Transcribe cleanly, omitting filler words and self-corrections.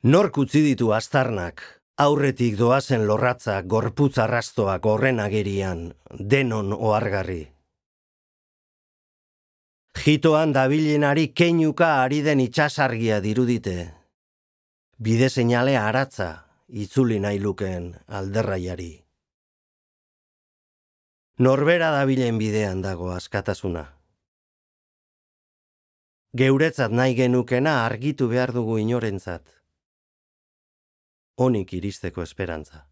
Nork utzi ditu aztarnak, aurretik doazen lorratzak, gorputz arrastoak horren agerian, denon ohargarri. Jitoan dabilenari keinuka ari den itsasargia dirudite. Bide seinalea aratza, itzuli nahi lukeen alderraiari. Norbera dabilen bidean dago askatasuna. Geuretzat nahi genukena argitu behar dugu inorentzat. Onik iristeko esperantza.